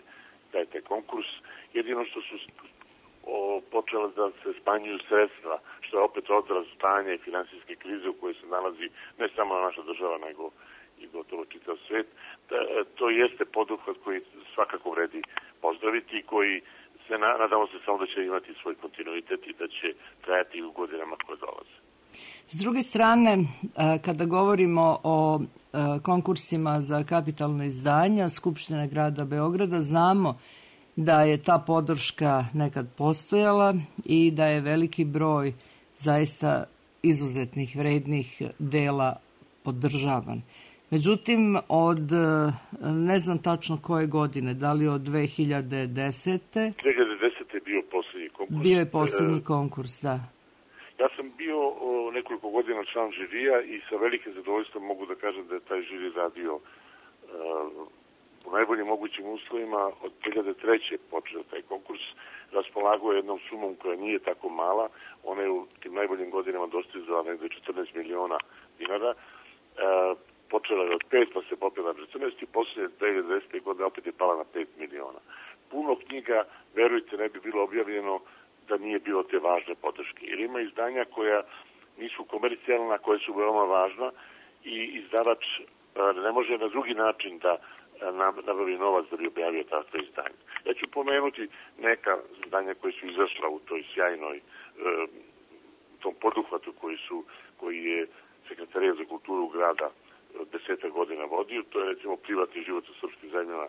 daje taj konkurs. Jedino što su o, počele da se smanjuju sredstva, što je opet odraz stanja i finansijske krize u kojoj se nalazi ne samo naša država, nego i gotovo čitav svet. Da, to jeste poduhvat koji svakako vredi pozdraviti i koji se na, nadamo se samo da će imati svoj kontinuitet i da će trajati u godinama koje dolaze. S druge strane, kada govorimo o konkursima za kapitalne izdanja Skupštine grada Beograda, znamo da je ta podrška nekad postojala i da je veliki broj zaista izuzetnih vrednih dela podržavan. Međutim, od ne znam tačno koje godine, da li od dve hiljade desete. dve hiljade desete je bio posljednji konkurs. Bio je posljednji konkurs, da. Ja sam bio o, nekoliko godina član žirija i sa velikim zadovoljstvom mogu da kažem da je taj žiri radio uh, u najboljim mogućim uslovima. Od dve hiljade treće počeo taj konkurs, raspolagao jednom sumom koja nije tako mala, ona je u tim najboljim godinama dostizala negde četrnaest miliona dinara. Uh, počela je od pet, pa se popela na četrnaest i posle dve hiljade desete godine opet je pala na pet miliona. Puno knjiga, verujte, ne bi bilo objavljeno da nije bilo te važne podrške. Jer ima izdanja koja nisu komercijalna, koja su veoma važna i izdavač ne može na drugi način da nabavi novac da bi objavio takve izdanje. Ja ću pomenuti neka izdanja koje su izašla u toj sjajnoj tom poduhvatu koji su koji je Sekretarijat za kulturu grada deseta godina vodio. To je recimo Privatni život u srpskim zemljama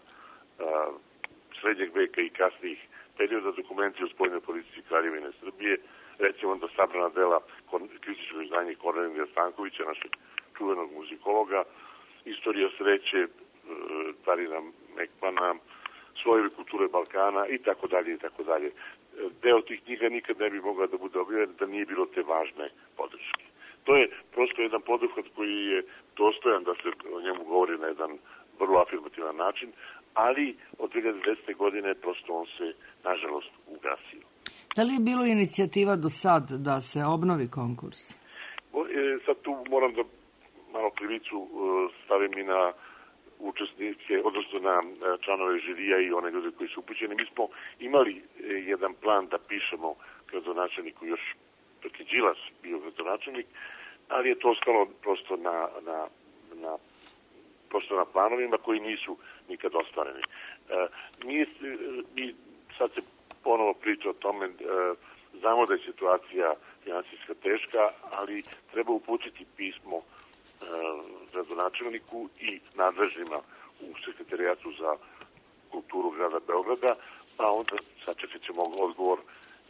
srednjeg veka i kasnijih perioda, dokumenti o spoljnoj politici Kraljevine Srbije, recimo da sabrana dela kritičkog izdanja Kornelija Stankovića, našeg čuvenog muzikologa, Istorija sreće Tarina Mekmana, Slojevi kulture Balkana i tako dalje i tako dalje. deo tih knjiga nikad ne bi mogla da bude objavljen da nije bilo te važne podrške. To je prosto jedan poduhvat koji je dostojan da se o njemu govori na jedan vrlo afirmativan način, ali od dve hiljade desete. godine prosto on se, nažalost, ugasio. Da li je bilo inicijativa do sad da se obnovi konkurs? Sad tu moram da malo krivicu stavim i na učesnike, odnosno na članove žirija i one ljude koji su upućeni. Mi smo imali jedan plan da pišemo gradonačelniku još dok je Đilas bio gradonačelnik, ali je to ostalo prosto na, na, na, prosto na planovima koji nisu nikad ostvareni. E, mi, mi sad se ponovo priča o tome, e, znamo da je situacija finansijska teška, ali treba uputiti pismo e, gradonačelniku i nadležnima u sekretarijatu za kulturu grada Beograda, pa onda sačekat ćemo odgovor.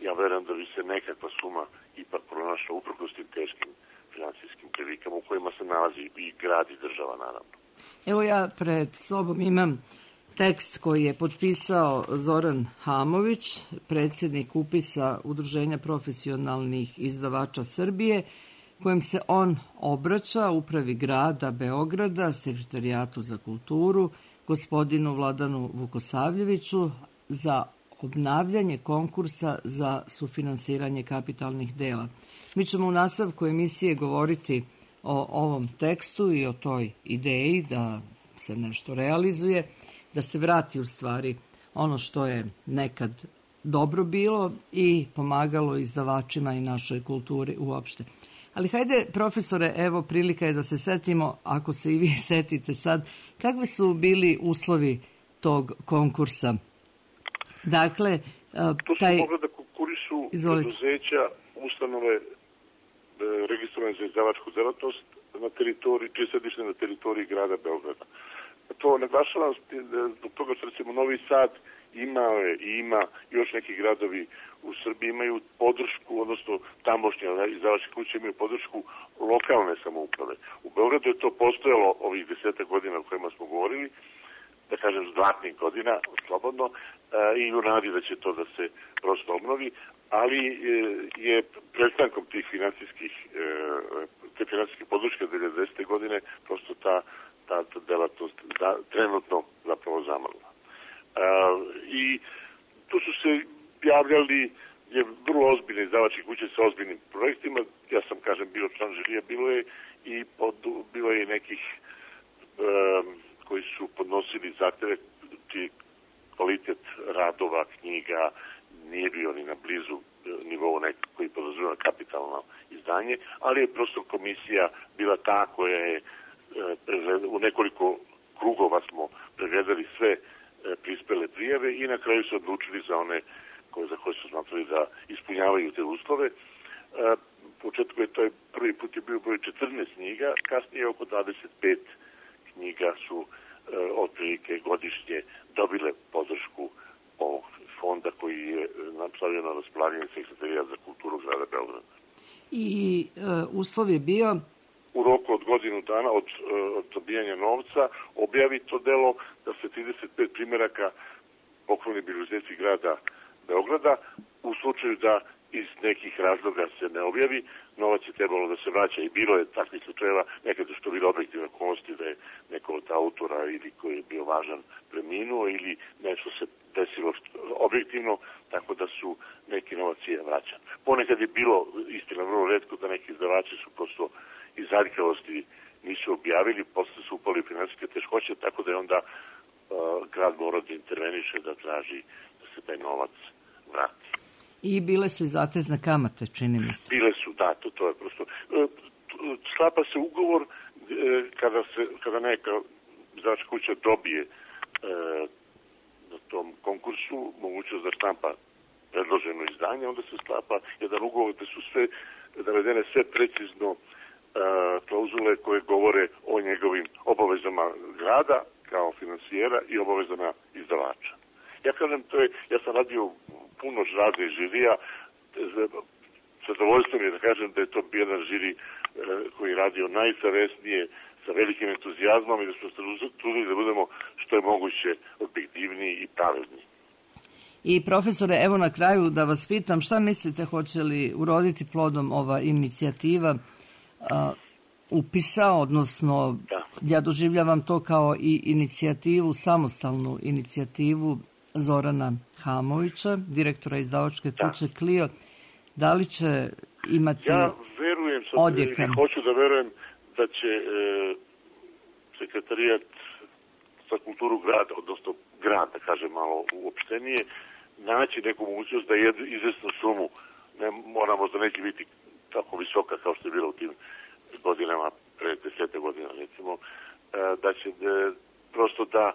Ja verujem da bi se nekakva suma ipak pronašla uprkos tim teškim finansijskim prilikama u kojima se nalazi i grad i država, naravno. Evo ja pred sobom imam tekst koji je potpisao Zoran Hamović, predsjednik upisa Udruženja profesionalnih izdavača Srbije, kojim se on obraća upravi grada Beograda, sekretarijatu za kulturu, gospodinu Vladanu Vukosavljeviću za obnavljanje konkursa za sufinansiranje kapitalnih dela. Mi ćemo u nastavku emisije govoriti o ovom tekstu i o toj ideji da se nešto realizuje, da se vrati u stvari ono što je nekad dobro bilo i pomagalo izdavačima i našoj kulturi uopšte. Ali hajde, profesore, evo prilika je da se setimo, ako se i vi setite sad, kakvi su bili uslovi tog konkursa? Dakle, to su taj... mogli da konkurišu preduzeća, ustanove e, registrovane za izdavačku delatnost na teritoriji, čije sedište na teritoriji grada Beograda. To naglašavam zbog toga što recimo Novi Sad imao je i ima još neki gradovi u Srbiji imaju podršku, odnosno tamošnje izdavačke kuće imaju podršku lokalne samouprave. U Beogradu je to postojalo ovih desetak godina o kojima smo govorili, da kažem zlatnih godina, slobodno, i u nadi da će to da se prosto obnovi, ali je prestankom tih finansijskih te finansijske podrške dve hiljade desete. godine prosto ta, ta, ta delatnost da, trenutno zapravo zamrla. I tu su se javljali je vrlo ozbiljne izdavačke kuće sa ozbiljnim projektima. Ja sam, kažem, bio član žirija, bilo je i pod, bilo je nekih um, koji su podnosili zahteve čiji kvalitet radova, knjiga nije bio ni na blizu nivou nekog koji podrazumeva kapitalno izdanje, ali je prosto komisija bila ta koja je u nekoliko krugova smo pregledali sve prispele prijave i na kraju su odlučili za one koje, za koje su smatrali da ispunjavaju te uslove. U početku je to prvi put je bio broj četrnaest knjiga, kasnije oko dvadeset pet knjiga su otprilike godišnje dobile podršku ovog fonda koji je napravio na raspolaganje sekretarijat za kulturu grada Beograda. I e, uslov je bio? U roku od godinu dana od, od dobijanja novca objavi to delo da se trideset pet primjeraka pokloni biblioteci grada Beograda. U slučaju da iz nekih razloga se ne objavi, novac je trebalo da se vraća i bilo je takvih slučajeva, nekada što bilo objektivne okolnosti da je neko od autora ili koji je bio važan preminuo ili nešto se desilo objektivno, tako da su neki novac je vraćan. Ponekad je bilo, istina vrlo retko, da neki izdavači su prosto iz aljkavosti nisu objavili, posle su upali finansijske teškoće, tako da je onda uh, grad mora da interveniše, da traži da se taj novac vrati. I bile su i zatezne kamate, čini mi se. Bile su, da, to, to je prosto. Sklapa se ugovor kada, se, kada neka izdavačka kuća dobije e, na tom konkursu mogućnost da štampa predloženo izdanje, onda se sklapa jedan ugovor gde su sve navedene sve precizno e, klauzule koje govore o njegovim obavezama grada kao finansijera i obavezama izdavača. Ja kažem, to je, ja sam radio puno žrade i žirija, zadovoljstvo mi je da kažem da je to jedan žiri e, koji je radio najsavesnije, sa velikim entuzijazmom i da smo se trudili da budemo što je moguće objektivniji i pravedniji. I profesore, evo na kraju da vas pitam, šta mislite, hoće li uroditi plodom ova inicijativa a, upisa, odnosno Da. ja doživljavam to kao i inicijativu, samostalnu inicijativu Zorana Hamovića, direktora izdavačke kuće da. Clio. Da li će imati Ja verujem, sad, odjeka? hoću da verujem da će e, sekretarijat za kulturu grada, odnosno grad, da kažem malo uopštenije, naći neku mogućnost da jednu izvesnu sumu, ne, mora možda neće biti tako visoka kao što je bila u tim godinama, pre desete godina recimo, da će de, prosto da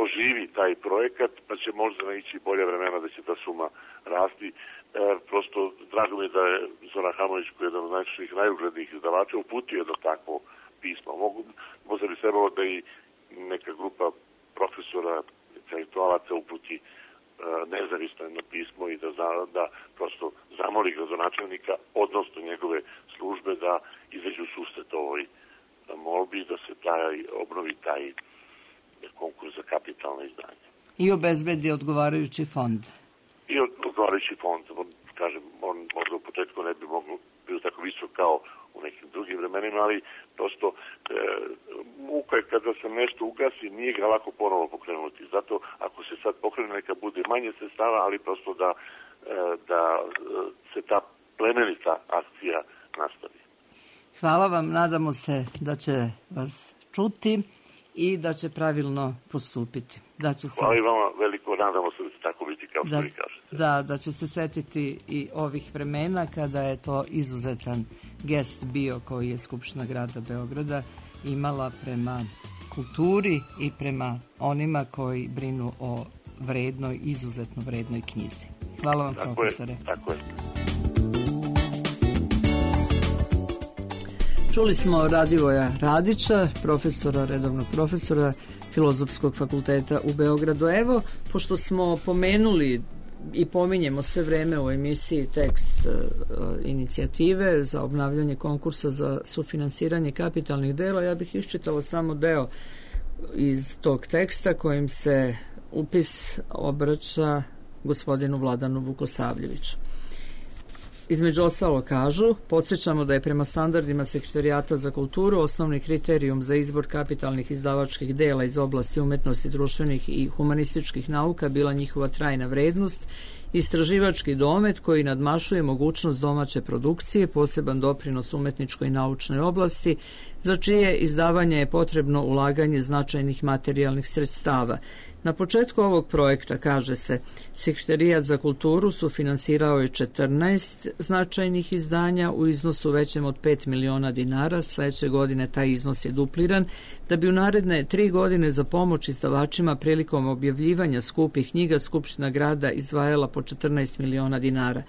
oživi taj projekat, pa će možda naići bolje vremena da će ta suma rasti. E, prosto drago mi je da je Zoran Hamović, koji je jedan od najčešćih, najuglednijih izdavača, uputio jedno takvo pismo. Mogu, možda bi trebalo da i neka grupa profesora, intelektualaca uputi e, nezavisno jedno pismo i da, za, da prosto zamoli gradonačelnika, odnosno njegove službe, da izađu susret ovoj molbi, da se taj, obnovi taj konkurs za kapitalne izdanje. I obezbedi odgovarajući fond. I odgovarajući fond, on, kažem, on možda u početku ne bi moglo biti tako visok kao u nekim drugim vremenima, ali prosto e, muka je kada se nešto ugasi, nije ga lako ponovo pokrenuti. Zato ako se sad pokrene, neka bude manje sredstava, ali prosto da, e, da se ta plemenita akcija nastavi. Hvala vam, nadamo se da će vas čuti i da će pravilno postupiti. Da će se... Hvala i vama veliko, nadamo se da će tako biti kao što da, vi kažete. Da, da će se setiti i ovih vremena kada je to izuzetan gest bio koji je Skupština grada Beograda imala prema kulturi i prema onima koji brinu o vrednoj, izuzetno vrednoj knjizi. Hvala vam, tako profesore. Je, tako je. Čuli smo Radivoja Radića, profesora, redovnog profesora Filozofskog fakulteta u Beogradu. Evo, pošto smo pomenuli i pominjemo sve vreme u emisiji tekst uh, inicijative za obnavljanje konkursa za sufinansiranje kapitalnih dela, ja bih iščitala samo deo iz tog teksta kojim se upis obraća gospodinu Vladanu Vukosavljeviću. Između ostalo kažu, podsjećamo da je prema standardima Sekretarijata za kulturu osnovni kriterijum za izbor kapitalnih izdavačkih dela iz oblasti umetnosti, društvenih i humanističkih nauka bila njihova trajna vrednost, istraživački domet koji nadmašuje mogućnost domaće produkcije, poseban doprinos umetničkoj i naučnoj oblasti, za čije izdavanje je potrebno ulaganje značajnih materijalnih sredstava. Na početku ovog projekta, kaže se, Sekretarijat za kulturu sufinansirao je četrnaest značajnih izdanja u iznosu većem od pet miliona dinara. Sledeće godine taj iznos je dupliran, da bi u naredne tri godine za pomoć izdavačima prilikom objavljivanja skupih knjiga Skupština grada izdvajala po četrnaest miliona dinara.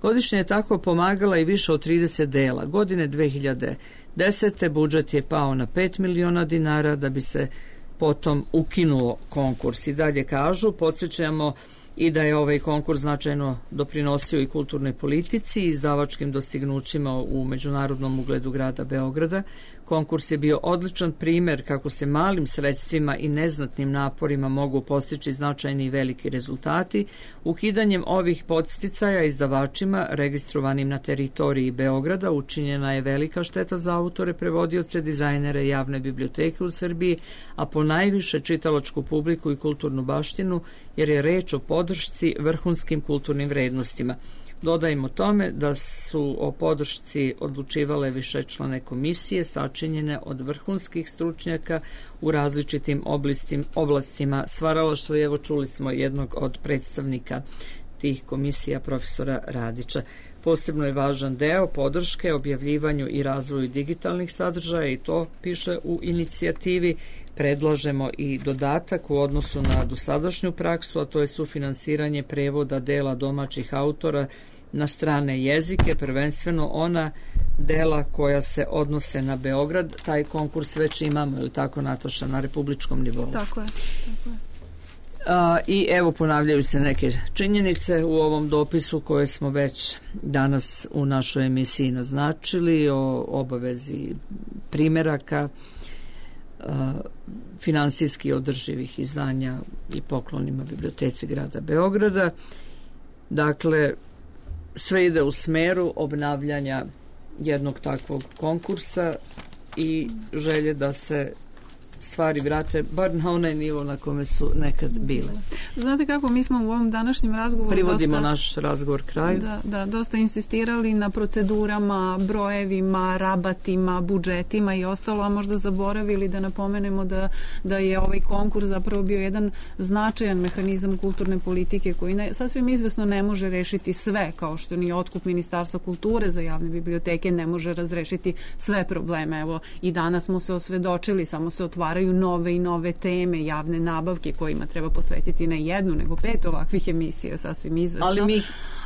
Godišnje je tako pomagala i više od trideset dela. Godine dve hiljade desete. budžet je pao na pet miliona dinara da bi se potom ukinuo konkurs. I dalje kažu, podsjećamo i da je ovaj konkurs značajno doprinosio i kulturnoj politici i izdavačkim dostignućima u međunarodnom ugledu grada Beograda. Konkurs je bio odličan primer kako se malim sredstvima i neznatnim naporima mogu postići značajni i veliki rezultati. Ukidanjem ovih podsticaja izdavačima registrovanim na teritoriji Beograda učinjena je velika šteta za autore, prevodioce, dizajnere, javne biblioteke u Srbiji, a po najviše čitalačku publiku i kulturnu baštinu, jer je reč o podršci vrhunskim kulturnim vrednostima. Dodajmo tome da su o podršci odlučivale višečlane komisije sačinjene od vrhunskih stručnjaka u različitim oblastima, oblastima stvaralaštva. Evo, čuli smo jednog od predstavnika tih komisija, profesora Radića. Posebno je važan deo podrške objavljivanju i razvoju digitalnih sadržaja i to piše u inicijativi. Predlažemo i dodatak u odnosu na dosadašnju praksu, a to je sufinansiranje prevoda dela domaćih autora na strane jezike, prvenstveno ona dela koja se odnose na Beograd. Taj konkurs već imamo, ili tako, Nataša, na republičkom nivou? Tako je, tako je. A, I evo, ponavljaju se neke činjenice u ovom dopisu koje smo već danas u našoj emisiji naznačili o obavezi primeraka finansijski održivih izdanja i poklonima Biblioteci grada Beograda. Dakle, sve ide u smeru obnavljanja jednog takvog konkursa i želje da se stvari vrate bar na onaj nivo na kome su nekad bile. Znate kako, mi smo u ovom današnjem razgovoru privodimo dosta, naš razgovor kraju. Da, da, dosta insistirali na procedurama, brojevima, rabatima, budžetima i ostalo, a možda zaboravili da napomenemo da, da je ovaj konkurs zapravo bio jedan značajan mehanizam kulturne politike koji ne, sasvim izvesno ne može rešiti sve, kao što ni otkup Ministarstva kulture za javne biblioteke ne može razrešiti sve probleme. Evo, i danas smo se osvedočili, samo se otvaraju nove i nove teme, javne nabavke kojima treba posvetiti ne jednu, nego pet ovakvih emisija, sasvim izvesno. Ali mi,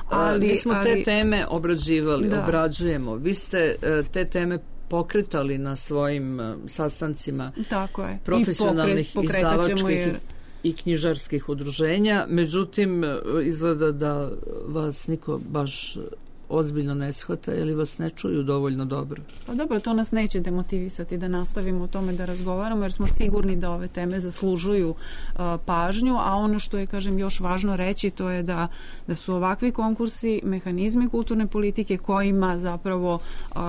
ali, mi smo ali, te teme obrađivali, da. obrađujemo. Vi ste te teme pokretali na svojim sastancima. Tako je. Profesionalnih, pokret, izdavačkih jer... i knjižarskih udruženja. Međutim, izgleda da vas niko baš ozbiljno ne shvata ili vas ne čuju dovoljno dobro. Pa dobro, to nas neće demotivisati da nastavimo o tome da razgovaramo, jer smo sigurni da ove teme zaslužuju uh, pažnju, a ono što je, kažem, još važno reći, to je da, da su ovakvi konkursi mehanizmi kulturne politike kojima zapravo uh, uh,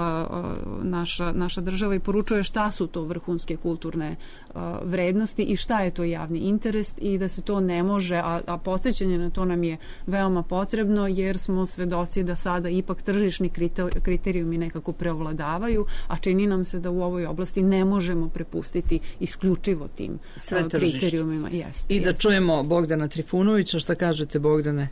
naša, naša država i poručuje šta su to vrhunske kulturne uh, vrednosti i šta je to javni interes i da se to ne može, a, a podsjećanje na to nam je veoma potrebno, jer smo svedoci da sada ipak tržišni kriterijumi nekako preovladavaju, a čini nam se da u ovoj oblasti ne možemo prepustiti isključivo tim sve kriterijumima. Jest, I da jest. čujemo Bogdana Trifunovića. Šta kažete, Bogdane?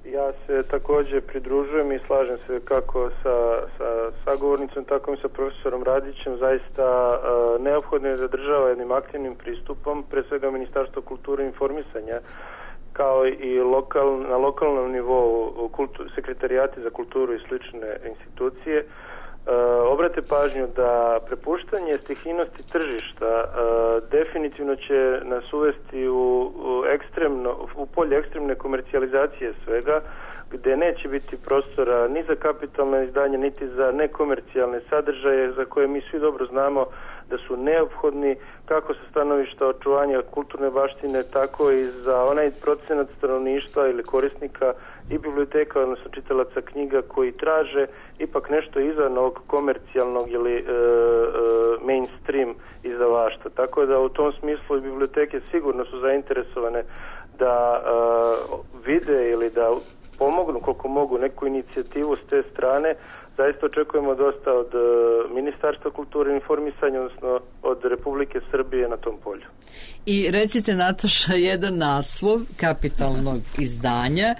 Ja se također pridružujem i slažem se kako sa, sa sagovornicom, tako i sa profesorom Radićem. Zaista uh, neophodno je da država jednim aktivnim pristupom, pre svega Ministarstvo kulture i informisanja, kao i lokal, na lokalnom nivou kultu, sekretarijati za kulturu i slične institucije e, obrate pažnju da prepuštanje stihijnosti tržišta e, definitivno će nas uvesti u, u, ekstremno, u polje ekstremne komercijalizacije svega, gde neće biti prostora ni za kapitalne izdanje, niti za nekomercijalne sadržaje za koje mi svi dobro znamo da su neophodni kako sa stanovišta očuvanja kulturne baštine, tako i za onaj procenat stanovništva ili korisnika i biblioteka, odnosno čitalaca knjiga koji traže ipak nešto izvan ovog komercijalnog ili e, e, mainstream izdavaštva. Tako da u tom smislu biblioteke sigurno su zainteresovane da e, vide ili da pomognu koliko mogu neku inicijativu s te strane. Zaista očekujemo dosta od uh, Ministarstva kulture i informisanja, odnosno od Republike Srbije na tom polju. I recite, Nataša, jedan naslov kapitalnog izdanja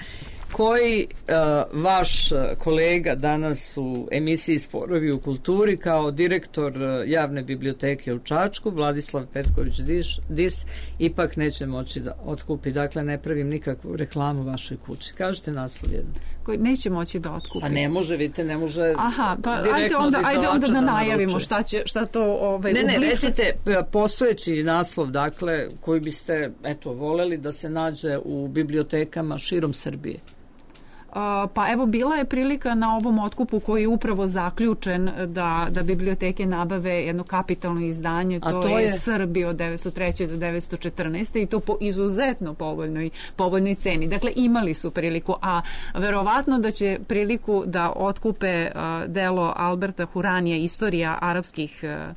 koji uh, vaš kolega danas u emisiji Sporovi u kulturi kao direktor uh, javne biblioteke u Čačku, Vladislav Petković Dis, Dis ipak neće moći da otkupi. Dakle, ne pravim nikakvu reklamu vašoj kući. Kažete naslov jedan. Koji neće moći da otkupi. Pa ne može, vidite, ne može. Aha, pa ajde onda, ajde onda da najavimo šta će, šta to ovaj Ne, ne, recite postojeći naslov, dakle, koji biste, eto, voleli da se nađe u bibliotekama širom Srbije. Pa evo, bila je prilika na ovom otkupu koji je upravo zaključen da, da biblioteke nabave jedno kapitalno izdanje, to, to je, je Srbija od devetsto treće do devetsto četrnaeste i to po izuzetno povoljnoj, povoljnoj ceni. Dakle, imali su priliku, a verovatno da će priliku da otkupe uh, delo Alberta Huranija, Istorija arapskih uh,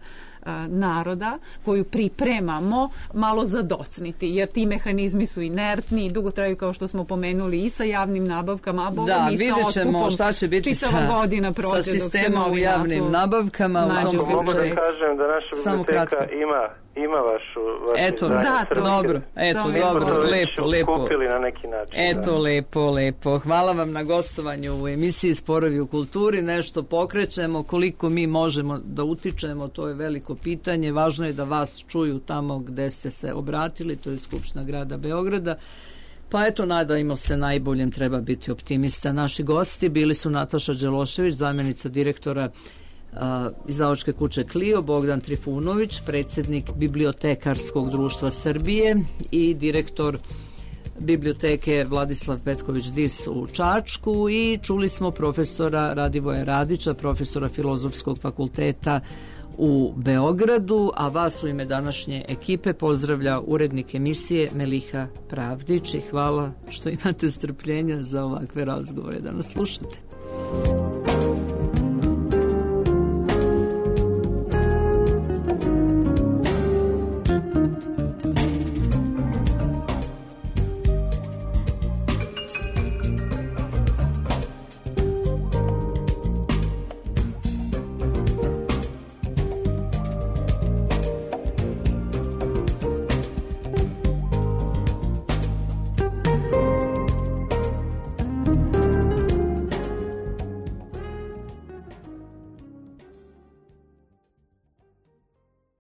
naroda koju pripremamo malo zadocniti, jer ti mehanizmi su inertni i dugo traju, kao što smo pomenuli, i sa javnim nabavkama, a boga da, mi sa otkupom šta će biti čitava sa, godina prođe sa sistemom u javnim nabavkama. Mogu da kažem da naša biblioteka ima ima vašu, vašu eto, da, to, dobro, eto, to dobro, lepo, lepo. Kupili na neki način. Eto, da. lepo, lepo. Hvala vam na gostovanju u emisiji Sporovi u kulturi. Nešto pokrećemo, koliko mi možemo da utičemo, to je veliko pitanje. Važno je da vas čuju tamo gde ste se obratili, to je Skupština grada Beograda. Pa eto, nadajmo se najboljem, treba biti optimista. Naši gosti bili su Nataša Đelošević, zamjenica direktora Uh, izdavačke kuće Clio, Bogdan Trifunović, predsjednik Bibliotekarskog društva Srbije i direktor biblioteke Vladislav Petković-Dis u Čačku i čuli smo profesora Radivoja Radića, profesora Filozofskog fakulteta u Beogradu, a vas u ime današnje ekipe pozdravlja urednik emisije Meliha Pravdić i hvala što imate strpljenja za ovakve razgovore da nas slušate.